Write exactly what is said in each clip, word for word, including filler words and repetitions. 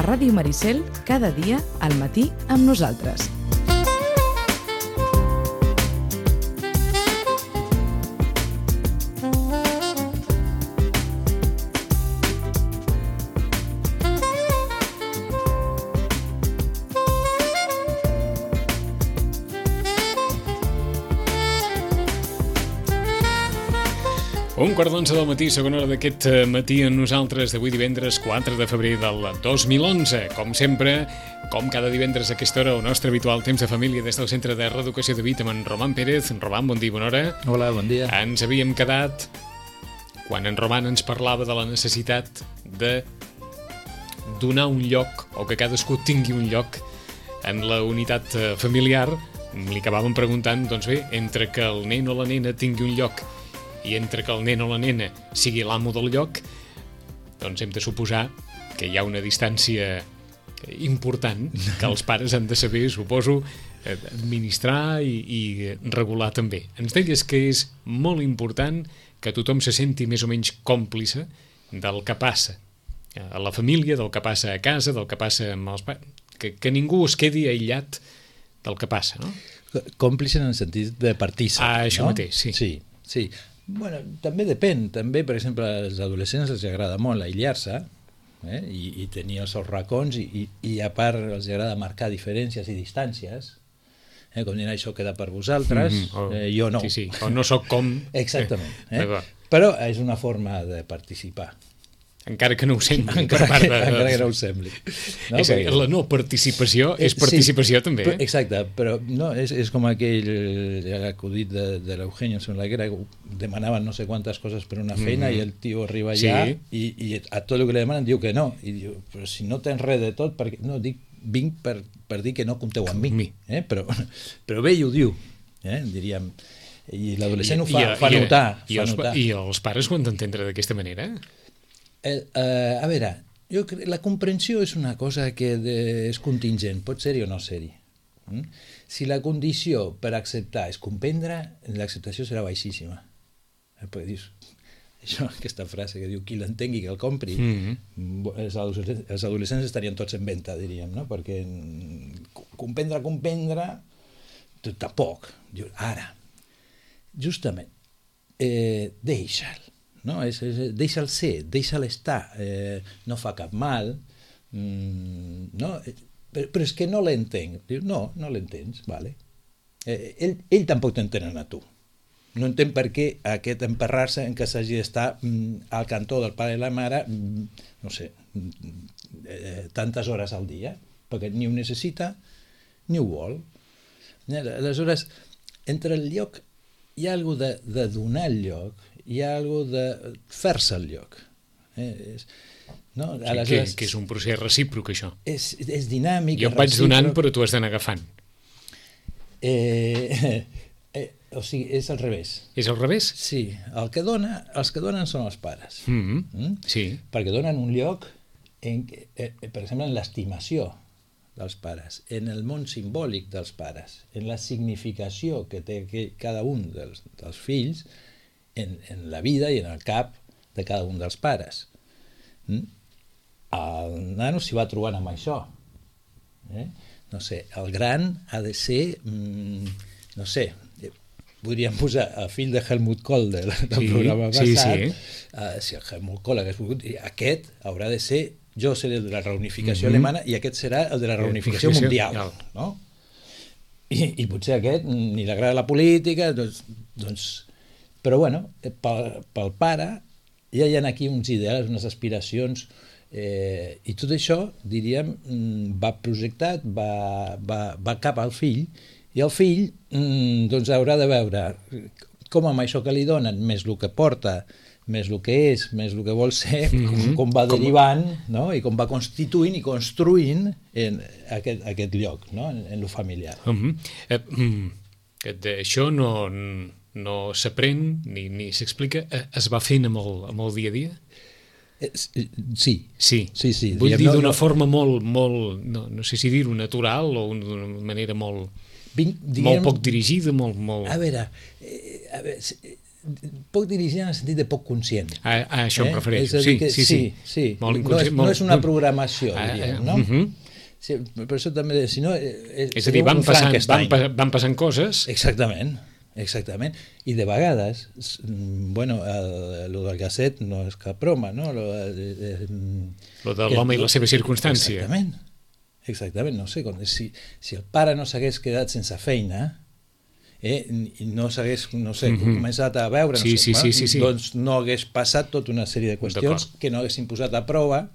Ràdio Maricel, cada dia al matí amb nosaltres. Un quart d'onze del matí, segona hora d'aquest matí amb nosaltres d'avui divendres quatre de febrer del dos mil onze. Com sempre, com cada divendres a aquesta hora, el nostre habitual temps de família des del Centre de Reeducació de Vic amb en Roman Pérez. Roman, bon dia, bona hora. Hola, bon dia. Ens havíem quedat quan en Roman ens parlava de la necessitat de donar un lloc, o que cadascú tingui un lloc en la unitat familiar. Li acabàvem preguntant, doncs bé, entre que el nen o la nena tingui un lloc i entre que el nen o la nena sigui l'amo del lloc, doncs hem de suposar que hi ha una distància important que els pares han de saber, suposo, administrar i, i regular també. Ens deies que és molt important que tothom se senti més o menys còmplice del que passa a la família, del que passa a casa, del que passa amb els pares, que, que ningú es quedi aïllat del que passa, no? Còmplice en el sentit de partícip. Ah, això no? mateix, sí. Sí, sí. Bueno, també depèn, també, per exemple, als adolescents els agrada molt aïllar-se eh? I, i tenir els seus racons i, i, i a part els agrada marcar diferències i distàncies, eh? Com dir, això queda per vosaltres, mm -hmm. oh, eh, jo no. Sí, sí, o no sóc com... Exactament. Eh? Però és una forma de participar. Encara que no ho sembli. Encara, per part de... encara que no ho sembli. No? És perquè... La no participació és participació, sí, també. Eh? Exacte, però no, és, és com aquell acudit de, de l'Eugenio Sonlaguera, que demanaven no sé quantes coses per una feina, mm -hmm. i el tio arriba allà, sí, i, i a tot el que li demanen diu que no. I diu, però si no tens res de tot, perquè... no, dic, vinc per, per dir que no compteu amb mi. mi. Eh? Però, però bé, i ho diu, eh? Diríem. I l'adolescent ho fa, I, fa i, notar. I, fa els, notar. I els pares ho han d'entendre d'aquesta manera? Eh, eh, a veure, jo crec, la comprensió és una cosa que de, és contingent, pot ser-hi o no ser-hi. Mm? Si la condició per acceptar és comprendre, l'acceptació serà baixíssima. Eh, perquè dius, això, aquesta frase que diu qui l'entengui que el compri, mm -hmm. els, adolescents, els adolescents estarien tots en venta, diríem, no? Perquè comprendre, comprendre, tampoc. Ara, justament, eh, deixa'l. No? És, és, deixa'l ser, deixa'l estar, eh, no fa cap mal, mm, no? però, però és que no l'entenc. Diu, no, no l'entens, vale. Eh, ell, ell tampoc t'entenen a tu. No entén per què aquest emperrar-se en què s'hagi d'estar mm, al cantó del pare i la mare, mm, no sé, eh, tantes hores al dia, perquè ni ho necessita ni ho vol. Aleshores, entre el lloc hi ha alguna de, de donar el lloc, hi ha alguna de fer-se el lloc. Eh, és, no? Aleshores, que, que és un procés recíproc, això. És, és dinàmic. Jo em vaig donant, però tu has d'anar agafant. Eh, eh, o sigui, és al revés. És al revés? Sí. El que dona, els que donen són els pares. Mm-hmm. Mm? Sí. Perquè donen un lloc, en, eh, per exemple, en l'estimació dels pares, en el món simbòlic dels pares, en la significació que té cada un dels, dels fills en, en la vida i en el cap de cada un dels pares. Mm? El nano s'hi va trobant amb això. Eh? No sé, el gran ha de ser, mm, no sé, podríem posar el fill de Helmut Kohl del, del sí, programa passat, sí, sí. Uh, si el Helmut Kohl hagués volgut, aquest haurà de ser, jo seré el de la reunificació mm-hmm. alemana i aquest serà el de la reunificació eh, mundial, no? I, i potser aquest ni li agrada la política, doncs, doncs però bueno, pel, pel pare ja hi ha aquí uns ideals, unes aspiracions, eh, i tot això, diríem, va projectat, va, va, va cap al fill, i el fill doncs haurà de veure com amb això que li donen, més el que porta, més el que és, més el que vol ser, mm-hmm. com, com va derivant, no? I com va constituint i construint en aquest, aquest lloc, no? en, en lo familiar. Mm-hmm. eh, mm, això no, no s'aprèn ni, ni s'explica, es va fent amb el, amb el dia a dia? Sí. Sí, sí, sí. Vull Diguem, dir d'una no, no... forma molt, molt no, no sé si dir-ho natural o d'una manera molt, Vinc, diguem, molt poc dirigida, molt... molt... A veure, eh, a veure poc dirigida en el sentit de poc conscient. A, a això eh? em refereixo, sí, que, sí, sí, sí, sí. Molt no, és, molt... no és una programació, ah, diríem, no? Uh -huh. Sí, per això també, si no... És, és a dir, van passant, van, van passant coses... Exactament, exactament. I de vegades, bueno, el, lo del gasset no és cap broma, no? Lo, eh, lo de l'home i la seva circumstància. Exactament, exactament, no sé, si, si el pare no s'hagués quedat sense feina... Eh, i no s'hagués, no sé, mm -hmm. començat a veure, no sí, sé, sí, sí, sí, sí. doncs no hagués passat tota una sèrie de qüestions que no haguessin posat a prova,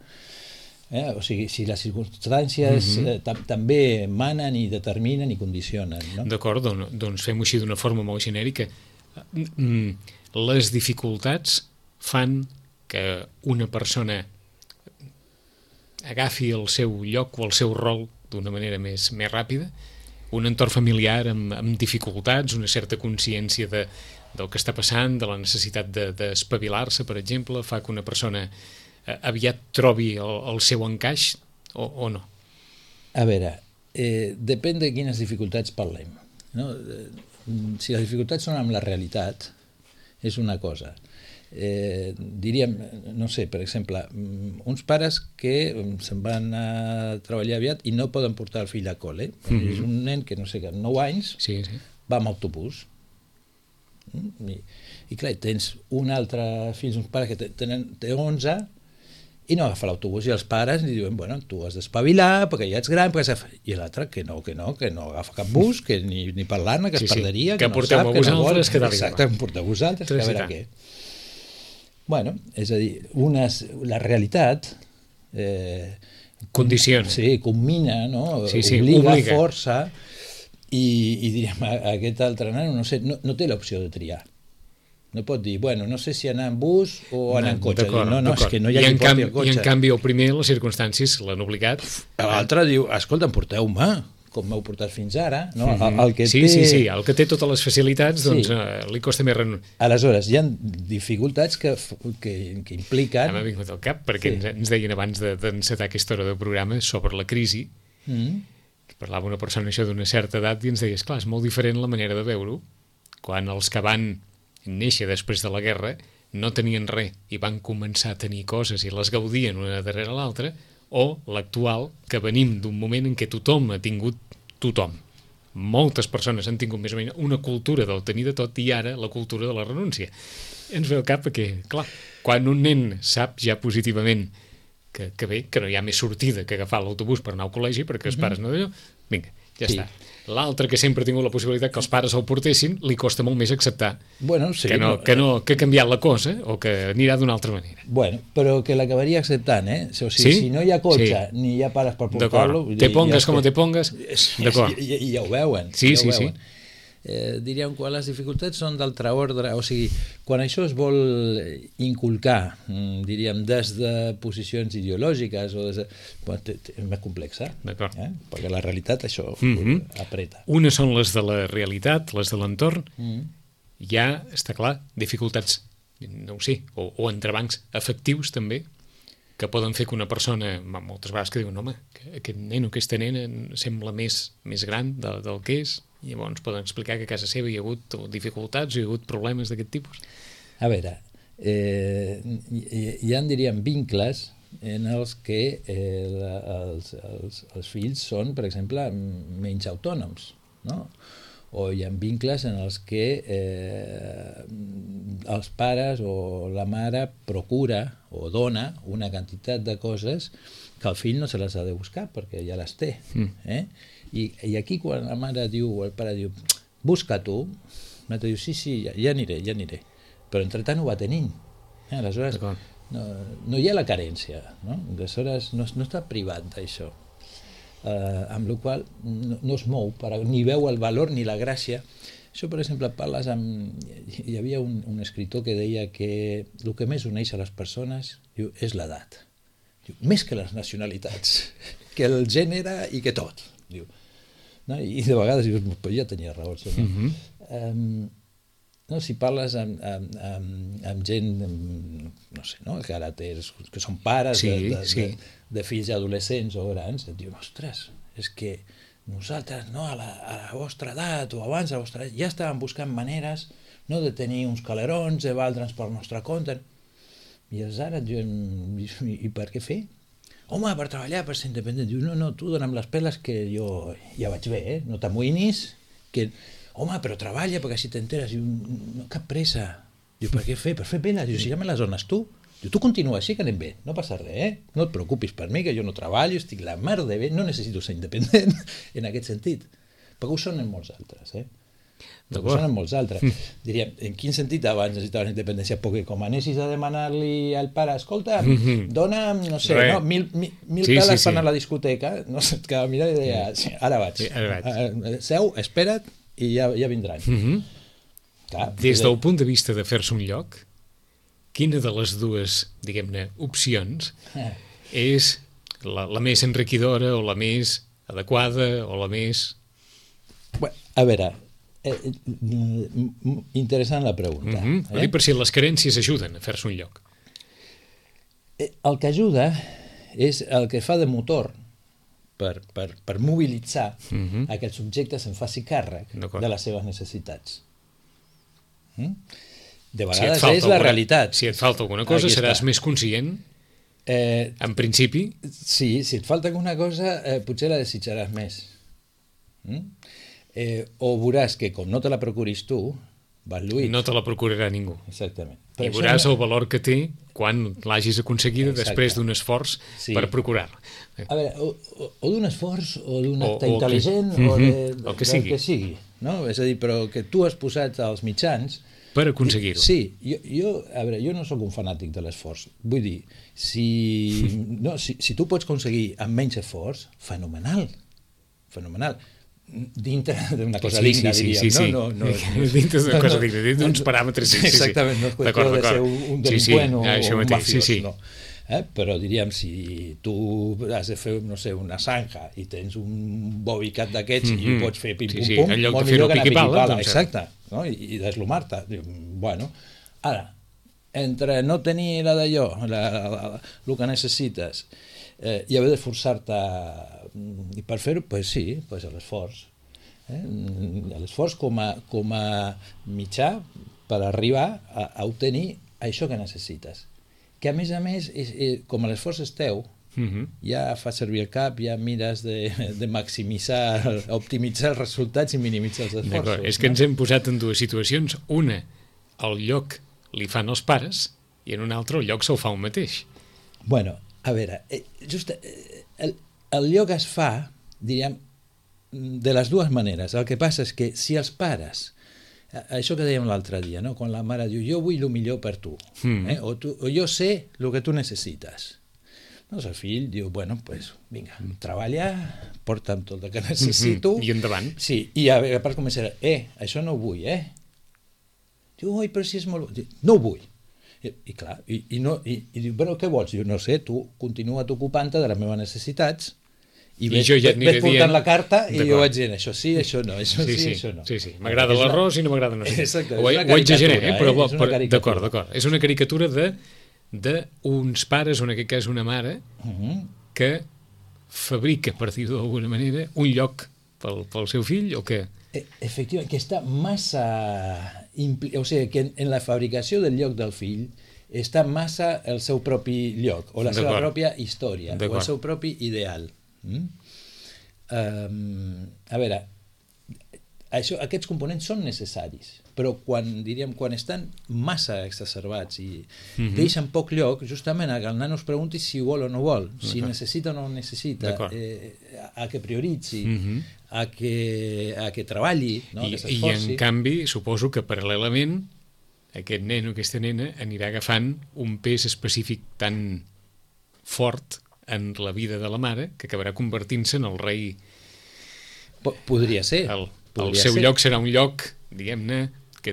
eh? O sigui, si les circumstàncies mm -hmm. eh, tam també manen i determinen i condicionen, no? D'acord, doncs, doncs fem-ho així d'una forma molt genèrica. Les dificultats fan que una persona agafi el seu lloc o el seu rol d'una manera més, més ràpida, un entorn familiar amb, amb dificultats, una certa consciència de, del que està passant, de la necessitat d'espavilar-se, de, per exemple, fa que una persona eh, aviat trobi el, el seu encaix o, o no? A veure, eh, depèn de quines dificultats parlem, no? Si les dificultats són amb la realitat, és una cosa. Eh, diríem, no sé, per exemple, uns pares que se'n van a treballar aviat i no poden portar el fill a col·le. Mm-hmm. És un nen que, no sé, amb nou anys sí, sí. va amb autobús. I, i clar, tens un altre fill, uns pares que tenen, té onze i no agafa l'autobús, i els pares li diuen, bueno, tu has d'espavilar perquè ja ets gran, perquè i l'altre que no, que no, que no agafa cap bus, que ni, ni parlar-ne, que sí, es perderia, sí. que, que no porteu sap, a vosaltres, que no vol. Exacte, que porteu a vosaltres, que a veure què. Bueno, és a dir, unes, la realitat eh, condiciona, sí, combina, no? Sí, sí, obliga, obliga, força, i, i diríem, aquest altre nano no, sé, no, no té l'opció de triar. No pot dir, bueno, no sé si anar en bus o anar en cotxe. No, no, és que no hi ha qui porti el cotxe. I en canvi, el primer, les circumstàncies l'han obligat. L'altre diu, escolta, porteu-me, com m'heu portat fins ara. No? Mm-hmm. el, el que sí, té... sí, sí, el que té totes les facilitats, doncs sí. eh, li costa més renunciar. Aleshores, hi ha dificultats que, que, que impliquen... M'ha vingut al cap, perquè sí. ens, ens deien abans d'encetar de, aquesta hora de programa sobre la crisi, mm. que parlava una persona això d'una certa edat i ens deia, esclar, és molt diferent la manera de veure-ho, quan els que van néixer després de la guerra no tenien res i van començar a tenir coses i les gaudien una darrere l'altra, o l'actual, que venim d'un moment en què tothom ha tingut tothom. Moltes persones han tingut més o menys una cultura del tenir de tot i ara la cultura de la renúncia. Ens ve al cap que, clar, quan un nen sap ja positivament que, que bé, que no hi ha més sortida que agafar l'autobús per anar al col·legi perquè els pares no d'allò, vinga, ja sí. està. L'altre, que sempre ha tingut la possibilitat que els pares el portessin, li costa molt més acceptar bueno, sí, que, no, no, que, no, que ha canviat la cosa o que anirà d'una altra manera. Bueno, però que l'acabaria acceptant, eh? O sigui, sí? Si no hi ha cotxe sí. ni hi ha pares per portar-lo... Te pongues com te pongues, d'acord. I, i, ja ho veuen. Sí, ja sí, ho veuen. sí. Eh, diríem que les dificultats són d'altre ordre, o sigui, quan això es vol inculcar, diríem, des de posicions ideològiques o des de... Bueno, és més complexa, eh? Perquè la realitat això mm-hmm. apreta. Unes són les de la realitat, les de l'entorn, mm-hmm. hi ha, està clar, dificultats, no ho sé, o, o entrebancs afectius també, que poden fer que una persona, moltes vegades que diuen, home, que aquest nen o aquesta nena sembla més, més gran del, del que és, i llavors poden explicar que a casa seva hi ha hagut dificultats, hi ha hagut problemes d'aquest tipus. A veure, eh, hi, hi ha, diríem, vincles en els que eh, la, els, els, els fills són, per exemple, menys autònoms, no? O hi ha vincles en els que eh, els pares o la mare procura o dona una quantitat de coses que el fill no se les ha de buscar perquè ja les té. Mm. Eh? I, I aquí quan la mare diu o el pare diu busca tu, l'altre diu sí, sí, ja, ja aniré, ja aniré. Però entretant ho va tenint. Eh? Aleshores no, no hi ha la carència, no? Aleshores no, no està privat d'això. Uh, amb la qual no, no es mou, per, ni veu el valor ni la gràcia. Això, per exemple, parles amb... Hi havia un, un escriptor que deia que el que més uneix a les persones diu, és l'edat. Més que les nacionalitats, que el gènere i que tot. Diu. No? I de vegades dius, però ja tenia raó. No? Mm-hmm. um, no? Si parles amb, amb, amb, amb gent, amb, no sé, no? que ara tens, que són pares sí, de, de, sí. de, de fills adolescents o grans, et diuen, ostres, és que nosaltres, no, a la, a la vostra edat o abans a la vostra edat, ja estàvem buscant maneres no de tenir uns calerons, de valdre'ns per nostre compte. I aleshores, jo, i, i per què fer? Home, per treballar, per ser independent. Diu, no, no, tu dona'm les peles que jo ja vaig bé, eh? No t'amoïnis, que... Home, però treballa, perquè així t'enteres. Diu, no, cap pressa. Diu, per què fer? Per fer penes. Diu, si ja me les dones tu. Diu, tu continua així, que anem bé, no passa res, eh? No et preocupis per mi, que jo no treballo, estic la mar de bé, no necessito ser independent en aquest sentit. Perquè ho són en molts altres, eh? Ho són en molts altres. Diríem, en quin sentit abans necessitaves independència? Perquè com anessis a demanar-li al pare, escolta, dona'm, no sé, no, mil, mil, mil sí, peles sí, sí. per anar a la discoteca, no sé, et quedava mirar i deia, sí, ara vaig, sí, ara vaig. Seu, espera't i ja, ja vindran. Mm-hmm. Clar, des del punt de vista de fer-se un lloc, quina de les dues, diguem-ne, opcions eh. és la, la més enriquidora o la més adequada o la més... Bueno, a veure, eh, interessant la pregunta. Mm-hmm. Eh? Per si les carències ajuden a fer-se un lloc. Eh, el que ajuda és el que fa de motor per, per, per mobilitzar mm-hmm. a que el subjecte se'n faci càrrec de les seves necessitats. Mm? De vegades si és la alguna, realitat. Si et falta alguna cosa, aquí seràs està. més conscient, eh, en principi. Sí, si et falta alguna cosa, eh, potser la desitjaràs més. Mm? Eh, o veuràs que com no te la procuris tu, vas lluit. No te la procurarà ningú. Exactament. I veuràs no... el valor que té quan l'hagis aconseguida Exacte. Després d'un esforç sí. per procurar-la. A veure, o, o, o d'un esforç, o d'un acte o intel·ligent, que... o de, mm-hmm. el que sigui. que sigui, no? És a dir, però que tu has posat els mitjans... Per aconseguir-ho. Sí, jo, jo, a veure, jo no sóc un fanàtic de l'esforç. Vull dir, si, no, si, si tu pots aconseguir amb menys esforç, fenomenal, fenomenal. Dintre d'una cosa sí, digna, sí, diríem, sí, sí. no? no, no dintre d'una no, cosa no, digna, dintre d'uns paràmetres. Sí, sí, sí. Exactament, no és qüestió de ser un delinqüent sí, sí. o Ah, un mateix, mafiós, sí, sí. no. Eh? Però diríem, si tu has de fer, no sé, una zanja i tens un bobicat d'aquests mm-hmm. i ho pots fer pim-pum-pum, sí, sí. Molt millor que anar piqui-pala, piqui-pala, exacte, no? I, i deslomar-te. Bueno, ara, entre no tenir la d'allò, la, la, la, el que necessites, eh, i haver d'esforçar-te i per fer-ho, pues sí, pues l'esforç. Eh? L'esforç com a, com a mitjà per arribar a, a obtenir això que necessites. Que a més a més, és, és, com l'esforç és teu, mm-hmm. ja fas servir el cap, ja mires de, de maximitzar, optimitzar els resultats i minimitzar els esforços. És que no? Ens hem posat en dues situacions. Una, el lloc li fan els pares, i en una altra el lloc se'l fa un mateix. Bueno, a veure, eh, just, eh, el, el lloc es fa, diríem, de les dues maneres. El que passa és que si els pares, això que dèiem l'altre dia, no? Quan la mare diu jo vull el millor per tu, mm. eh? o, tu o jo sé el que tu necessites, doncs el fill diu, bueno, pues, vinga, treballa, porta'm tot el que necessito mm-hmm. i endavant. Sí, i a, a part començarà, eh, això no ho vull, eh? Diu, oi, però si és molt... No ho vull. I, i clar, i, i, no, i, i diu, però què vols? Diu, no sé, tu continua ocupant-te de les meves necessitats i, I ves, jo ja ves portant dient... la carta i jo vaig dient això sí, això no, això sí, sí, sí això no. Sí, sí. M'agrada l'arròs i no m'agrada no sé. Exacte, ho, ho exageré, eh? Però, eh? però d'acord, d'acord. És una caricatura de d'uns pares, o en aquest cas una mare, uh-huh. que fabrica, per dir-ho d'alguna manera, un lloc pel, pel seu fill, o què? Efectivament, que està massa... Impli... O sigui, que en la fabricació del lloc del fill està massa el seu propi lloc, o la seva pròpia història, o el seu propi ideal. Mm? Um, a veure, això, aquests components són necessaris, però quan, diríem, quan estan massa exacerbats i mm-hmm. deixen poc lloc, justament a que el nano es pregunti si vol o no vol, si necessita o no necessita, eh, a que prioritzi, mm-hmm. a, que, a que treballi, no? I, que s'esforci. I en canvi, suposo que paral·lelament aquest nen o aquesta nena anirà agafant un pes específic tan fort en la vida de la mare, que acabarà convertint-se en el rei. Podria ser. El, podria el seu ser. lloc serà un lloc, diguem-ne, que,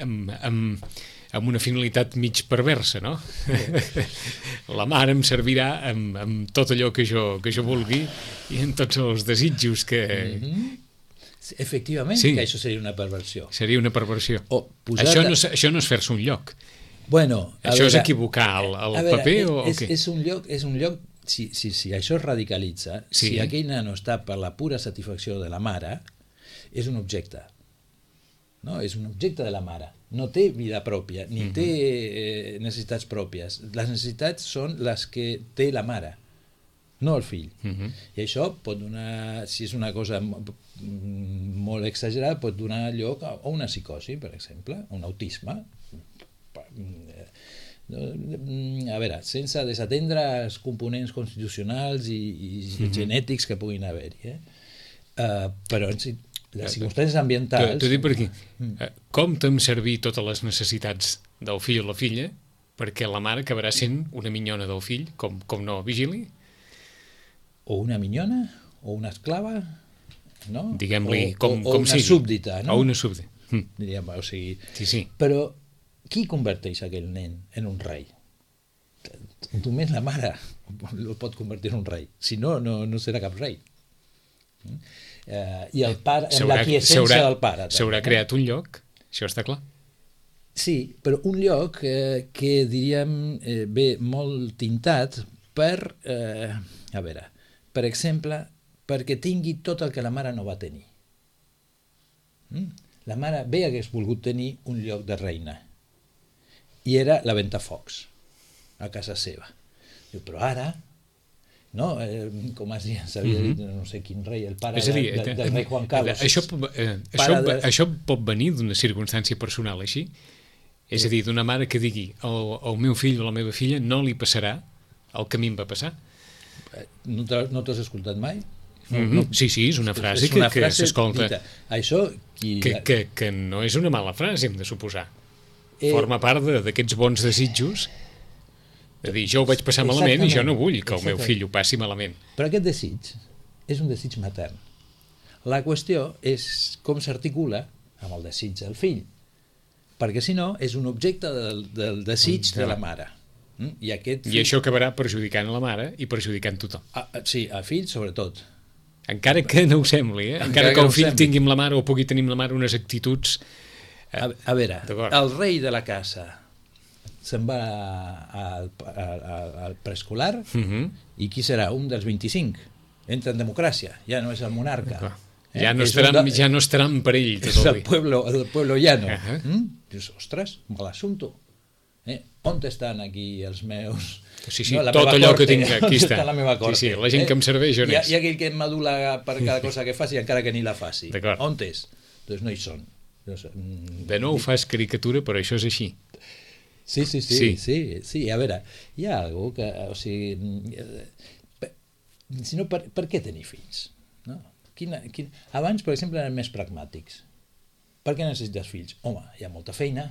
amb, amb, amb una finalitat mig perversa, no? La mare em servirà amb, amb tot allò que jo, que jo vulgui i amb tots els desitjos que... Mm-hmm. Efectivament, sí. Que això seria una perversió. Seria una perversió. O posat... això, no, això no és fer-se un lloc. Bueno, això veure, és equivocar el, el veure, paper o, és, o què? És un lloc, és un lloc si, si, si això es radicalitza, sí. Si aquell nano està per la pura satisfacció de la mare, és un objecte. no? És un objecte de la mare. No té vida pròpia, ni té eh, necessitats pròpies. Les necessitats són les que té la mare, no el fill. Uh-huh. I això pot donar, si és una cosa molt exagerada, pot donar lloc a una psicosi, per exemple, un autisme. A veure, sense desatendre els components constitucionals i, i uh-huh. genètics que puguin haver-hi. Eh? Uh, però en si, les circumstàncies ambientals... T'ho dic per aquí. Compta'm servir totes les necessitats del fill o la filla perquè la mare acabarà sent una minyona del fill, com, com no vigili? O una minyona, o una esclava, no? Diguem-li o, com, o, o com una sigui. súbdita, no? O una súbdita. Mm. Diríem, o sigui... Sí, sí. Però qui converteix aquell nen en un rei? Només la mare el pot convertir en un rei. Si no, no, no serà cap rei. Uh, I el pare, amb la quiescència del pare. S'haurà creat un lloc, això està clar. Sí, però un lloc eh, que diríem eh, ve molt tintat per, eh, a veure, per exemple, perquè tingui tot el que la mare no va tenir. Mm? La mare bé hagués volgut tenir un lloc de reina i era la Ventafocs a casa seva. Diu, però ara, no? Eh, com es deia, s'havia dit, no sé quin rei, el pare dir, de, de, del rei Juan Carlos. Això, eh, això, de... això pot venir d'una circumstància personal així? És a dir, d'una mare que digui el, el meu fill o la meva filla no li passarà el que a mi em va passar? No t'has escoltat mai? No, mm-hmm. no. Sí, sí, és una frase és una que, que s'escolta. Això... Qui... Que, que, que no és una mala frase, hem de suposar. Eh... Forma part d'aquests bons desitjos de dir, jo ho vaig passar malament i jo no vull que el meu fill ho passi malament. Però aquest desig és un desig matern. La qüestió és com s'articula amb el desig del fill, perquè si no és un objecte del, del desig de la mare. I, aquest fill... I això acabarà perjudicant a la mare i perjudicant tothom. Ah, sí, al fill sobretot. Encara que no ho sembli, eh? encara, encara que, que el fill sembli. tingui amb la mare o pugui tenir amb la mare unes actituds... Eh, a, a veure, el rei de la casa se'n va al, al, al preescolar uh-huh. i qui serà? Un dels vint-i-cinc. Entra en democràcia, ja no és el monarca. Eh? Ja, no estaran, de... ja no estaran per ell tot el dia. És el pueblo, el pueblo llano. Uh-huh. Mm? Dius, ostres, mal assumpto. Eh? On estan aquí els meus... Sí, sí, no, tot allò corte, que tinc aquí està. està la meva corte, sí, sí, la gent eh? que em serveix on és. és. Hi ha aquell que m'adula per cada cosa que faci encara que ni la faci. On és? Doncs no hi són. De nou fas caricatura, però això és així. Sí, sí, sí, sí, sí, sí. A veure, hi ha algú que, o sigui, si no, per, per què tenir fills? No? Quina, quina... Abans, per exemple, eren més pragmàtics. Per què necessites fills? Home, hi ha molta feina,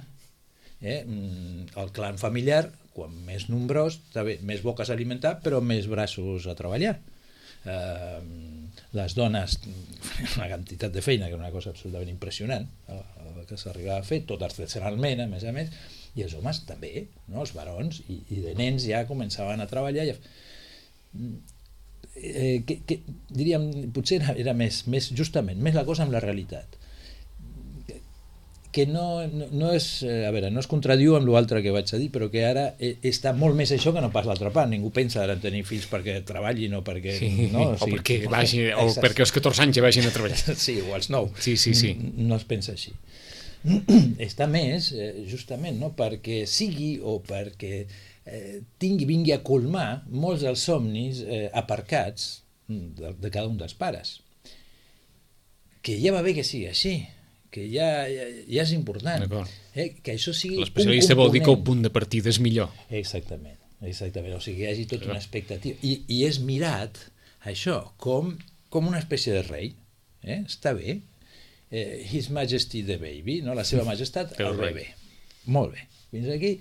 eh? El clan familiar, quan més nombrós, també més boques a alimentar, però més braços a treballar. Eh, les dones, una quantitat de feina, que és una cosa absolutament impressionant, el que s'arribava a fer, tot artesanalment, a més a més, i els homes també, no? Els barons i, i de nens ja començaven a treballar. Ja... Eh, que, que, diríem, potser era, era més, més, justament, més la cosa amb la realitat. Que no, no, no és, a veure, no es contradiu amb l'altre que vaig a dir, però que ara està molt més això que no pas l'altra part. Ningú pensa ara en tenir fills perquè treballin o perquè... Sí, no? O, sigui, o, perquè vagi, o perquè als catorze anys ja vagin a treballar. Sí, o als nou. Sí, sí, sí. No, no es pensa així. Està més, eh, justament, no? Perquè sigui o perquè eh, tingui, vingui a colmar molts dels somnis eh, aparcats de, de cada un dels pares. Que ja va bé que sigui així, que ja, ja, ja és important, eh? Que això sigui un component. L'especialista vol dir que el punt de partida és millor. Exactament, exactament. O sigui, que hi hagi tota una expectativa. I, i és mirat, això, com, com una espècie de rei. Eh? Està bé. Eh, His Majesty the Baby, no? La seva majestat, el bebè. Molt bé. Fins aquí.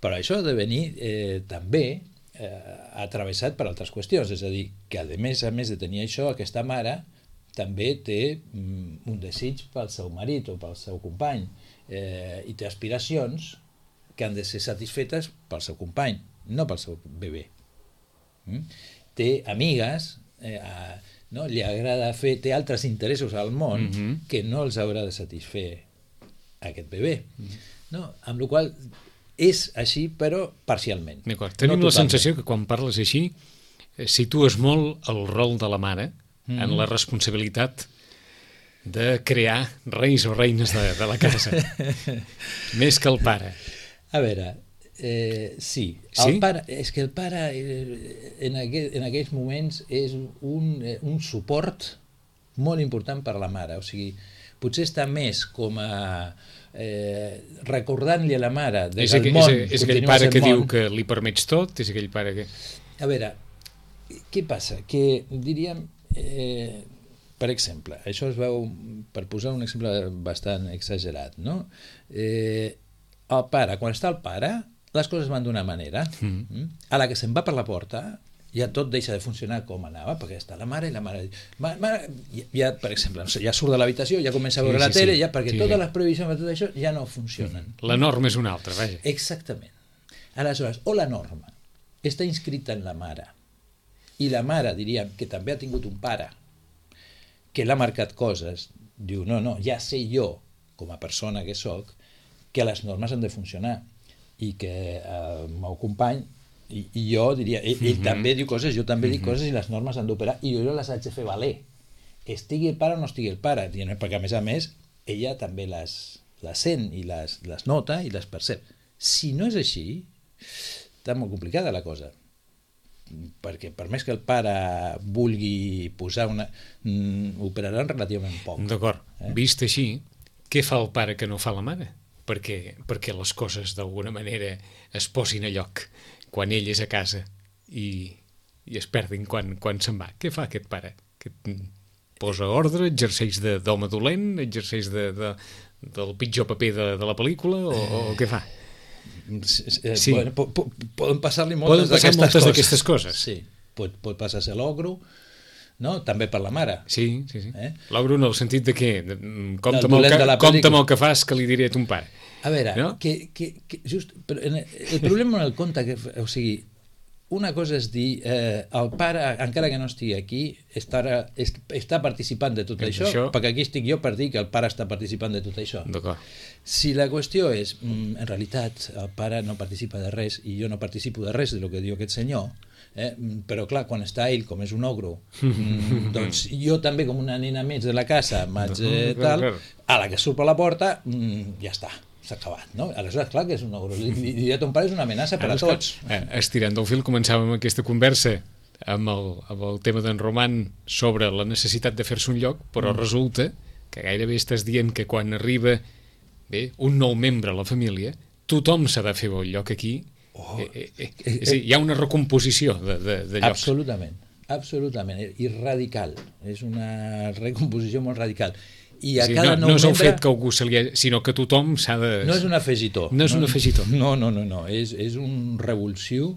Però això ha de venir eh, també eh, atravessat per altres qüestions. És a dir, que a més a més de tenir això, aquesta mare també té mm, un desig pel seu marit o pel seu company eh, i té aspiracions que han de ser satisfetes pel seu company, no pel seu bebè. Mm? Té amigues, eh, a, no? Li agrada fer, té altres interessos al món mm-hmm. que no els haurà de satisfer aquest bebè. Mm-hmm. No? Amb la qual és així, però parcialment. Tenim no la sensació que quan parles així situes molt el rol de la mare mm-hmm. en la responsabilitat de crear reis o reines de, de la casa. Més que el pare. A veure, eh, sí, sí? El pare, és que el pare eh, en, aquell, en aquells moments és un, eh, un suport molt important per la mare, o sigui, potser està més com a eh, recordant-li a la mare de és que el aquell, món és, és aquell continua pare sent que món. diu que li permets tot, és aquell pare que... A veure, què passa? Que diríem, eh, per exemple, això es veu, per posar un exemple bastant exagerat, no? Eh, el pare, quan està el pare, les coses van d'una manera. Mm. A la que se'n va per la porta, ja tot deixa de funcionar com anava, perquè està la mare i la mare... Ma, ma, ja, per exemple, ja surt de l'habitació, ja comença a veure sí, la sí, tele, sí. ja perquè sí, totes sí. les previsions de tot això ja no funcionen. La norma és una altra, vaja. Exactament. Aleshores, o la norma està inscrita en la mare, i la mare, diríem, que també ha tingut un pare, que l'ha marcat coses, diu, no, no, ja sé jo, com a persona que sóc, que les normes han de funcionar, i que eh, el meu company, i, i jo diria, ell, ell mm-hmm. també diu coses, jo també mm-hmm. dic coses, i les normes han d'operar, i jo les haig de fer valer. Estigui el pare o no estigui el pare, perquè a més a més, ella també les, les sent, i les, les nota, i les percep. Si no és així, està molt complicada la cosa, perquè per més que el pare vulgui posar una... Mm, operaran relativament poc. D'acord. Eh? Vist així, què fa el pare que no fa la mare? Perquè, perquè les coses d'alguna manera es posin a lloc quan ell és a casa i, i es perdin quan, quan se'n va. Què fa aquest pare? Que posa ordre, exerceix d'home dolent, exerceix de, de, del pitjor paper de, de la pel·lícula o, o què fa? Eh, sí. Bueno, po, po, poden passar-li moltes d'aquestes coses. coses. Sí, pot, pot passar-se l'ogro, no? També per la mare. Sí, sí, sí. Eh? L'ogro en el sentit de què? Compte amb el que, compte amb el que fas que li diré a ton pare. A veure, no? que, que, que just, però el problema en el conte, que, o sigui, una cosa és dir, eh, el pare, encara que no estigui aquí, estarà, est, està participant de tot això, això, perquè aquí estic jo per dir que el pare està participant de tot això. D'acord. Si la qüestió és, mm, en realitat, el pare no participa de res i jo no participo de res de lo que diu aquest senyor, eh, però clar, quan està ell, com és un ogro, mm, doncs jo també, com una nena més de la casa, m'haig eh, tal, a la que surt per la porta, mm, ja està. S'ha acabat, no? Aleshores, clar que és un ogro. I dir a ton pare és una amenaça per a tots. Eh, estirant del fil, començàvem aquesta conversa amb el, amb el tema d'en Roman sobre la necessitat de fer-se un lloc, però mm. resulta que gairebé estàs dient que quan arriba bé, un nou membre a la família, tothom s'ha de fer un lloc aquí. Oh. Eh, eh, eh, és a dir, hi ha una recomposició de, de, de llocs. Absolutament, absolutament, i radical. És una recomposició molt radical. I a sí, cada no, nou no és el membre... fet que algú se li ha... sinó que tothom s'ha de... No és un afegitó. No és no, un afegitó. No, no, no, no. És, és un revulsiu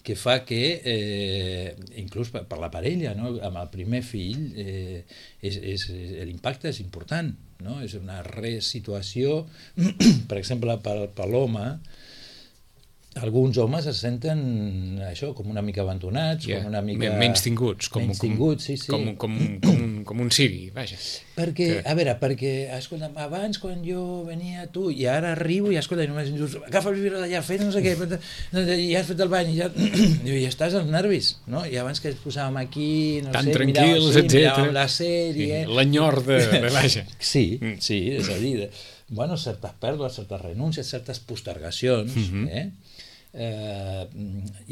que fa que, eh, inclús per, per la parella, no? Amb el primer fill, eh, és, és, l'impacte és important, no? És una resituació, per exemple, per, per l'home, alguns homes es senten això, com una mica abandonats, yeah. com una mica... menys tinguts, com, menys tinguts, sí, sí. Com, com, com, un, com un siri, vaja. Perquè, que... a veure, perquè, escolta, abans quan jo venia tu, i ara arribo i escolta, i només dius, agafa el vidre d'allà, fes no sé què, i has fet el bany, i ja, i ja estàs als nervis, no? I abans que ens posàvem aquí, no tan sé, tranquils, miràvem, sí, miràvem etcètera. La sèrie... Sí, l'enyor de, de vaja. Sí, sí, és a dir, de, bueno, certes pèrdues, certes renúncies, certes postergacions, mm-hmm. eh? Eh,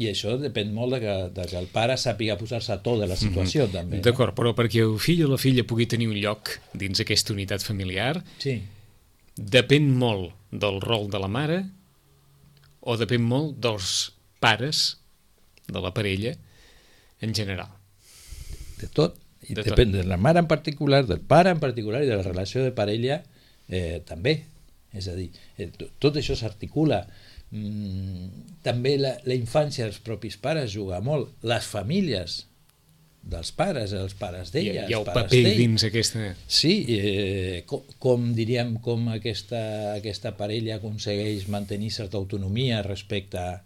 i això depèn molt de que, de que el pare sàpiga posar-se a to de la situació, mm-hmm. també. D'acord, no? Però perquè el fill o la filla pugui tenir un lloc dins aquesta unitat familiar, sí. depèn molt del rol de la mare o depèn molt dels pares de la parella en general. De tot. I de depèn tot. De la mare en particular, del pare en particular i de la relació de parella eh, també. És a dir, eh, tot això s'articula. Mm, també la, la infància dels propis pares juga molt, les famílies dels pares, els pares d'ella, hi ha el pares paper d'ell. dins aquesta... Sí, eh, com, com diríem, com aquesta, aquesta parella aconsegueix mantenir certa autonomia respecte a,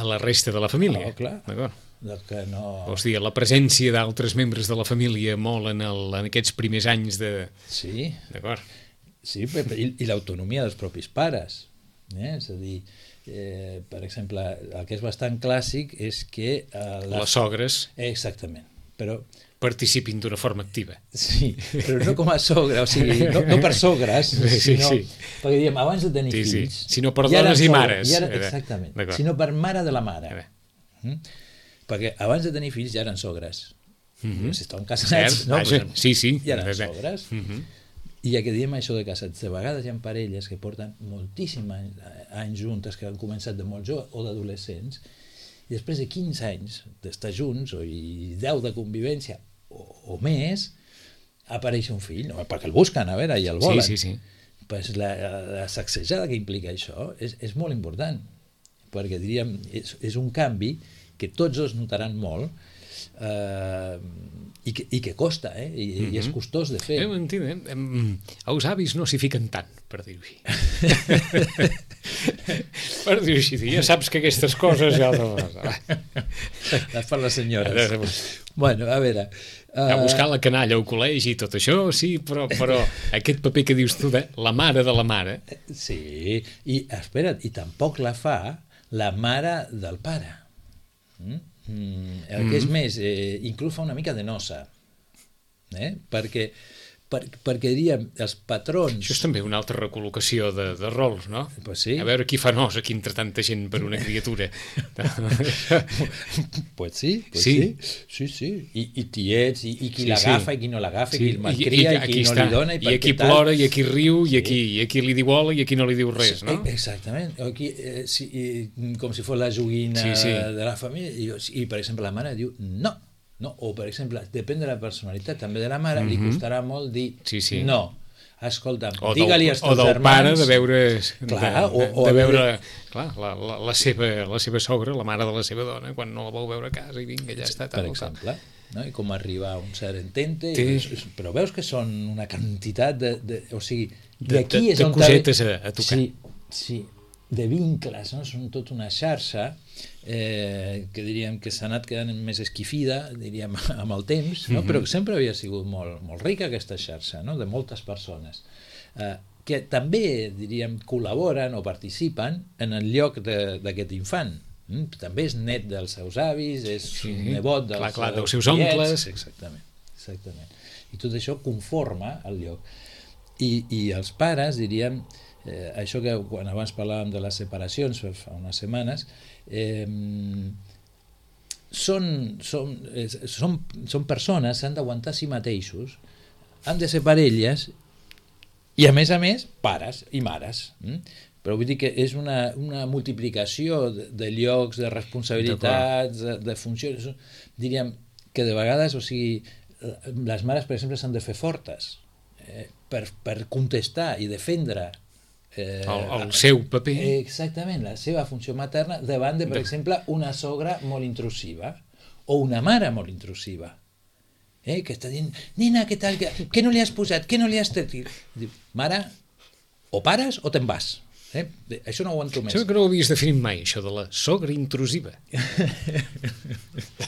a la resta de la família. Oh, clar. D'acord. Que no... O sigui, la presència d'altres membres de la família molt en, el, en aquests primers anys de... Sí, d'acord. Sí, i, i l'autonomia dels propis pares. Eh? És a dir, eh, per exemple, el que és bastant clàssic és que... Eh, les... les sogres. Exactament. però... Participin d'una forma activa. Sí, però no com a sogra, o sigui, no, no per sogres, sí, sinó... sí. Perquè diem, abans de tenir sí, sí. fills... Sinó per dones i mares. I ara, exactament, sinó per mare de la mare. Mm? Perquè abans de tenir fills ja eren sogres. Mm-hmm. Si estaven casats, Cert, no? vaja, sí, sí. Ja eren sogres. Mm-hmm. I ja que diem això de casats, de vegades hi ha parelles que porten moltíssims anys, anys juntes, que han començat de molt joves o d'adolescents, i després de quinze anys d'estar junts, o i deu de convivència, o, o més, apareix un fill, no? Perquè el busquen, a veure, i el volen. Sí, sí, sí. Pues la, la sacsejada que implica això és, és molt important, perquè diríem, és, és un canvi que tots dos notaran molt, eh, i, que, i que costa, eh? I, mm-hmm. i és costós de fer. Eh, m'entenc, eh? Els avis no s'hi fiquen tant, per dir-ho així. Per dir-ho així, ja saps que aquestes coses ja... Les per les senyores. Bueno, a veure... Uh... A buscar la canalla al col·legi i tot això, sí, però, però aquest paper que dius tu de la mare de la mare... Sí, i espera't, i tampoc la fa la mare del pare. Mm? Mm, el que és més, eh, inclús fa una mica de nosa, eh? perquè, per, perquè diríem, els patrons... Això és també una altra recol·locació de, de rols, no? Pues sí. A veure qui fa nos aquí entre tanta gent per una criatura. Pues sí, pues sí. sí, sí, sí. I, i tiets, i, i qui sí, l'agafa, sí. i qui no l'agafa, sí. i qui el malcria, i, i, i qui no està. li dona, i, I aquí plora, i aquí riu, i aquí, sí. i aquí li diu hola, i aquí no li diu res, no? Exactament. Aquí, eh, sí, com si fos la joguina sí, sí. de la família, i, i per exemple la mare diu no, no, o per exemple, depèn de la personalitat també de la mare, mm-hmm. li costarà molt dir sí, sí. no. Escolta'm, digue-li als teus germans... O del pare de veure... Clar, de, o, o de veure clar, la, la, la, seva, la seva sogra, la mare de la seva dona, quan no la vau veure a casa i vinga, ja està. Per tal, exemple, no? I com arribar a un cert entente, sí. i, però veus que són una quantitat de... de o sigui, de, de, de, de cosetes a, a tocar. Sí, sí, de vincles, no? Són tota una xarxa eh, que diríem que s'ha anat quedant més esquifida, diríem, amb el temps, no? Mm-hmm. Però sempre havia sigut molt, molt rica aquesta xarxa, no? De moltes persones, eh, que també, diríem, col·laboren o participen en el lloc d'aquest infant. Mm? També és net dels seus avis, és sí. nebot dels, clar, clar, dels seus tiets, oncles. Exactament, exactament. I tot això conforma el lloc. I, i els pares, diríem, eh, això que quan abans parlàvem de les separacions fa unes setmanes, eh, són, són, eh, són, són persones, s'han d'aguantar a si mateixos, han de ser parelles i a més a més pares i mares, mm? Però vull dir que és una, una multiplicació de, de llocs, de responsabilitats, de, de funcions, diríem que de vegades, o sigui, les mares, per exemple, s'han de fer fortes eh, per, per contestar i defendre eh, el, el seu paper. Exactament, la seva funció materna davant de, per de... exemple, una sogra molt intrusiva o una mare molt intrusiva. Eh, que està dient, nena, què tal? Què no li has posat? Què no li has tret? Diu, mare, o pares o te'n vas. Eh? Això no ho aguanto més. Això que no ho havies definit mai, això de la sogra intrusiva.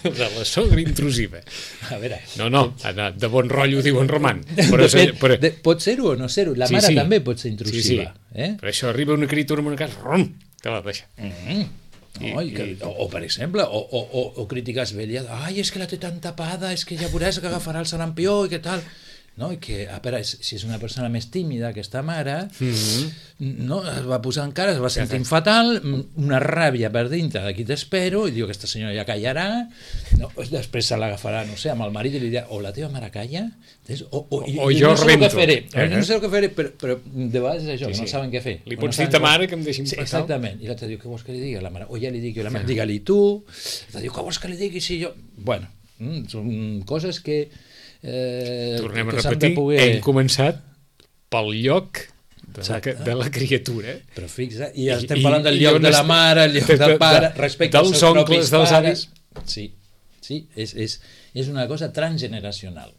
De la sogra intrusiva. A veure... No, no, de bon rotllo diu en Roman. Però, Depèn, però... de, pot ser-ho o no ser-ho. La sí, mare sí. també pot ser intrusiva. Sí, sí. Eh? Però això arriba una criatura en una casa, rum, te la deixa. Mm-hmm. No, i, i, o, o per exemple, o, o, o, o crítiques velles, ai, és que la té tan tapada, és que ja veuràs que agafarà el sarampió i què tal... No? I que, a veure, si és una persona més tímida, aquesta mare, mm-hmm. no? Es va posar en cara, es va sentir fatal, una ràbia per dintre, d'aquí t'espero, i diu, aquesta senyora ja callarà, no? Després se l'agafarà, no sé, amb el marit i li dirà, o la teva mare calla, o, o, i, o i jo no sé rebento. El que faré, eh? No sé el que faré, però, però de vegades és això, sí, sí. No saben què fer. Li pots no dir ta mare que em deixin sí, passar? Exactament, i l'altre diu, què vols que li digui a la mare? O ja li dic jo a la mare, digue-li tu, l'altre diu, què vols que li digui si jo... Bueno, mm, són coses que... Eh, tornem a repetir, poder... hem començat pel lloc de, la, de la criatura, però fixa, i estem parlant del lloc de la mare, el lloc del pare, respecte dels als seus oncles, dels avis. Sí, sí, és, és, és una cosa transgeneracional,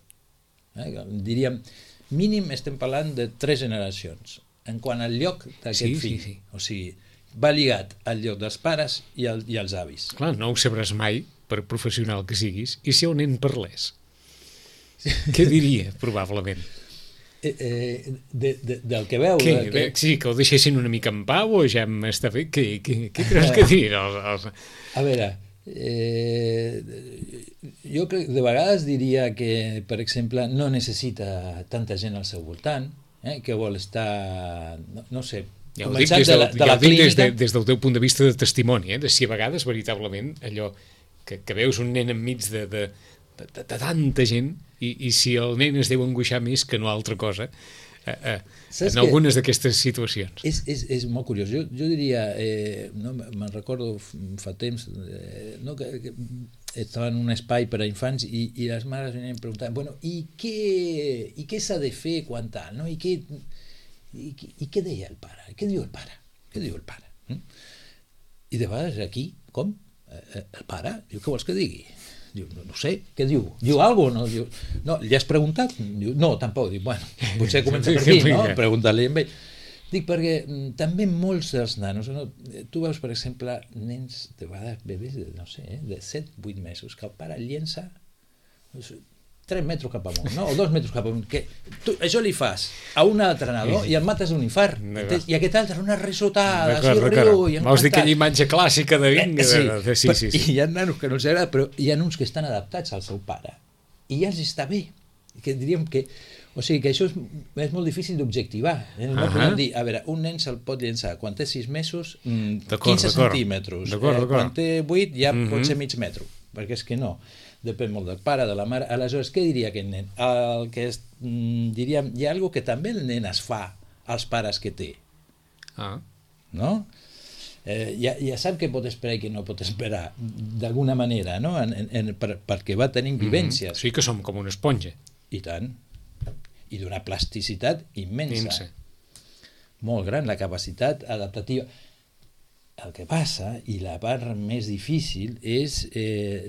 eh? Diríem, mínim estem parlant de tres generacions en quant al lloc d'aquest sí, fill, sí, sí. O sigui, va lligat al lloc dels pares i, el, i els avis. Clar, no ho sabràs mai, per professional que siguis, i si el nen parlés? Què diria, probablement? Eh, eh, de, de, del que veu... Què? Que... Sí, que el deixessin una mica en pau o ja m'està fet? Què, què, què creus que dir? Els, els... A veure, eh, jo crec, de vegades diria que, per exemple, no necessita tanta gent al seu voltant, eh, que vol estar, no, no sé, ja ho dic, des, de, de la, ja ho dic des, de, des del teu punt de vista de testimoni, eh, de si a vegades veritablement allò que, que veus un nen enmig de, de, de, de, de tanta gent i, i si el nen es deu angoixar més que no altra cosa eh, eh, en algunes d'aquestes situacions. És, és, és molt curiós. Jo, jo diria, eh, no, me'n recordo fa temps, eh, no, que, que estava en un espai per a infants i, i les mares venien preguntant, bueno, i què, i què s'ha de fer quan tal, no? I què, i, i què deia el pare? Què diu el pare? Què diu el pare? Mm? I de vegades aquí, com? Eh, el pare? Diu, què vols que digui? Diu, no, no sé, què diu? Diu alguna cosa? No, no, li has preguntat? Diu, no, tampoc. Diu, bueno, potser comença per aquí, no? Preguntar-li amb ell. Dic, perquè també molts dels nanos, no? Tu veus, per exemple, nens, de vegades, bebès, de, no sé, eh, de set vuit mesos, que el pare llença no sé, tres metres cap amunt, no? O dos metres cap amunt. Que tu, això li fas a un altre nadó i el mates d'un infart. I aquest altre, una risotada, així riu i encantat. Vols dir aquella imatge clàssica de vinga? Sí, de, sí, sí, sí. I hi ha nanos que no els agrada, però hi ha uns que estan adaptats al seu pare. I ja els està bé. Que diríem que... O sigui, que això és, és molt difícil d'objectivar. No uh -huh. podem dir, a veure, un nen se'l pot llençar quan té sis mesos, quinze centímetres. Eh, quan té vuit ja uh -huh. pot ser mig metro. Perquè és que no. Depèn molt del pare, de la mare. Aleshores, què diria aquest nen? El que és, diríem, hi ha alguna que també el nen es fa als pares que té. Ah. No? Eh, ja, ja sap què pot esperar i què no pot esperar, d'alguna manera, no? En, en, en, per, perquè va tenint vivències. Mm-hmm. Sí que som com una esponja. I tant. I d'una plasticitat immensa. Immensa. Molt gran, la capacitat adaptativa. El que passa, i la part més difícil, és eh,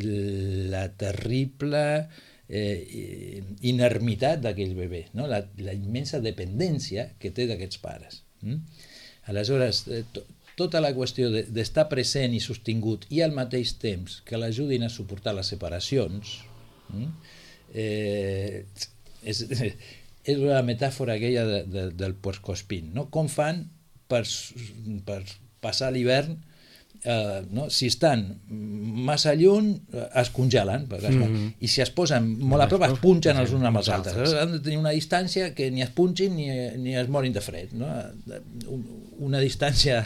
la terrible eh, inermitat d'aquell bebè, no? la, la immensa dependència que té d'aquests pares. Mm? Aleshores, eh, to, tota la qüestió d'estar de, present i sostingut i al mateix temps que l'ajudin a suportar les separacions, mm? eh, és, és la metàfora aquella de, de, del puercoespín, no? Com fan per, per passar l'hivern, eh, no? Si estan massa lluny es congelen, mm-hmm. i si es posen molt a prop es punxen els uns amb els altres. Han de tenir una distància que ni es punxin ni, ni es morin de fred, no? Una distància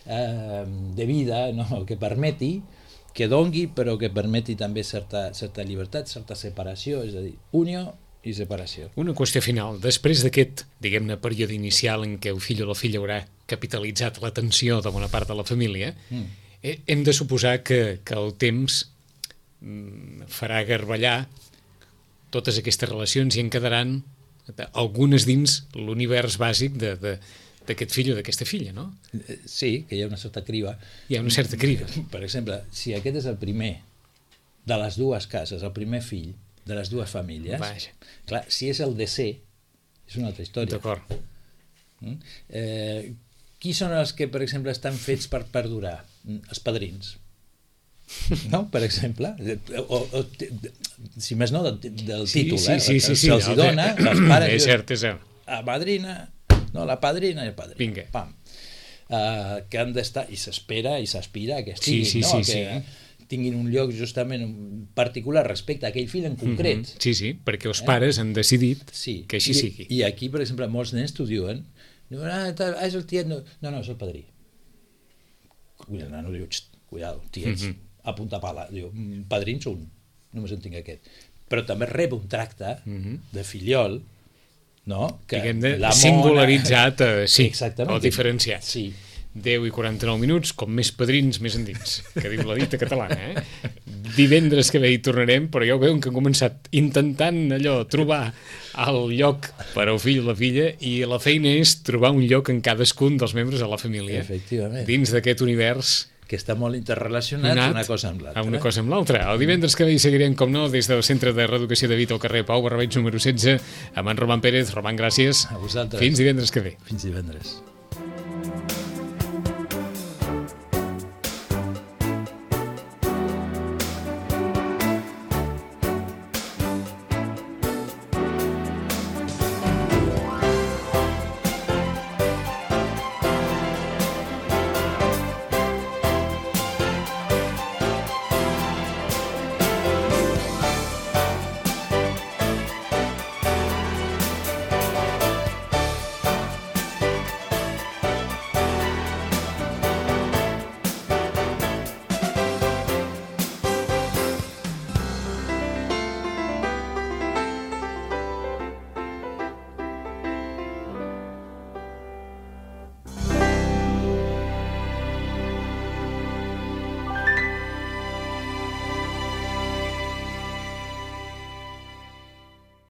eh, de vida, no? Que permeti, que dongui, però que permeti també certa, certa llibertat, certa separació, és a dir, unió i separació. Una qüestió final. Després d'aquest, diguem-ne, període inicial en què el fill o la filla haurà capitalitzat l'atenció de bona part de la família, mm. hem de suposar que, que el temps farà garballar totes aquestes relacions i en quedaran algunes dins l'univers bàsic de, de, d'aquest fill o d'aquesta filla, no? Sí, que hi ha una certa criba. Hi ha una certa criba. Per exemple, si aquest és el primer de les dues cases, el primer fill de les dues famílies, Vaja. Clar, si és el desè, és una altra història. D'acord. Mm? Eh, qui són els que, per exemple, estan fets per perdurar? Els padrins. No? Per exemple. O, o, si més no, del, del sí, títol. Sí, eh? sí, sí, sí, se'ls sí, dona, els pares... És cert, és cert. La padrina, no, la padrina i el padrí. Vinga. Pam. Uh, que han d'estar, i s'espera i s'aspira a que estiguin, sí, sí, no? Sí, que sí. tinguin un lloc justament particular respecte a aquell fill en concret. Mm-hmm. Sí, sí, perquè els pares eh? han decidit sí. que així I, sigui. I aquí, per exemple, molts nens t'ho diuen, diuen, ah, és el tiet, no, no, no és el padrí. I el nano diu, cuidado, tiets, mm-hmm. a punta pala. Diu, padrins un, només en tinc aquest. Però també rep un tracte mm-hmm. de filiol, no? Que diguem de singularitzat, eh, sí, exactament. O diferenciat. Sí. deu i quaranta-nou minuts, com més padrins, més endins, que diu la dita catalana, eh? Divendres que ve hi tornarem, però ja ho veuen que han començat intentant allò, trobar el lloc per al fill o la filla, i la feina és trobar un lloc en cadascun dels membres de la família. Efectivament. Dins d'aquest univers que està molt interrelacionat una cosa amb l'altra. Una cosa amb l'altra. El divendres que ve hi seguirem, com no, des del Centre de Reeducació de Vita al carrer Pau Barrabeig número setze, amb en Roman Pérez. Roman, gràcies. A vosaltres. Fins divendres que ve. Fins divendres.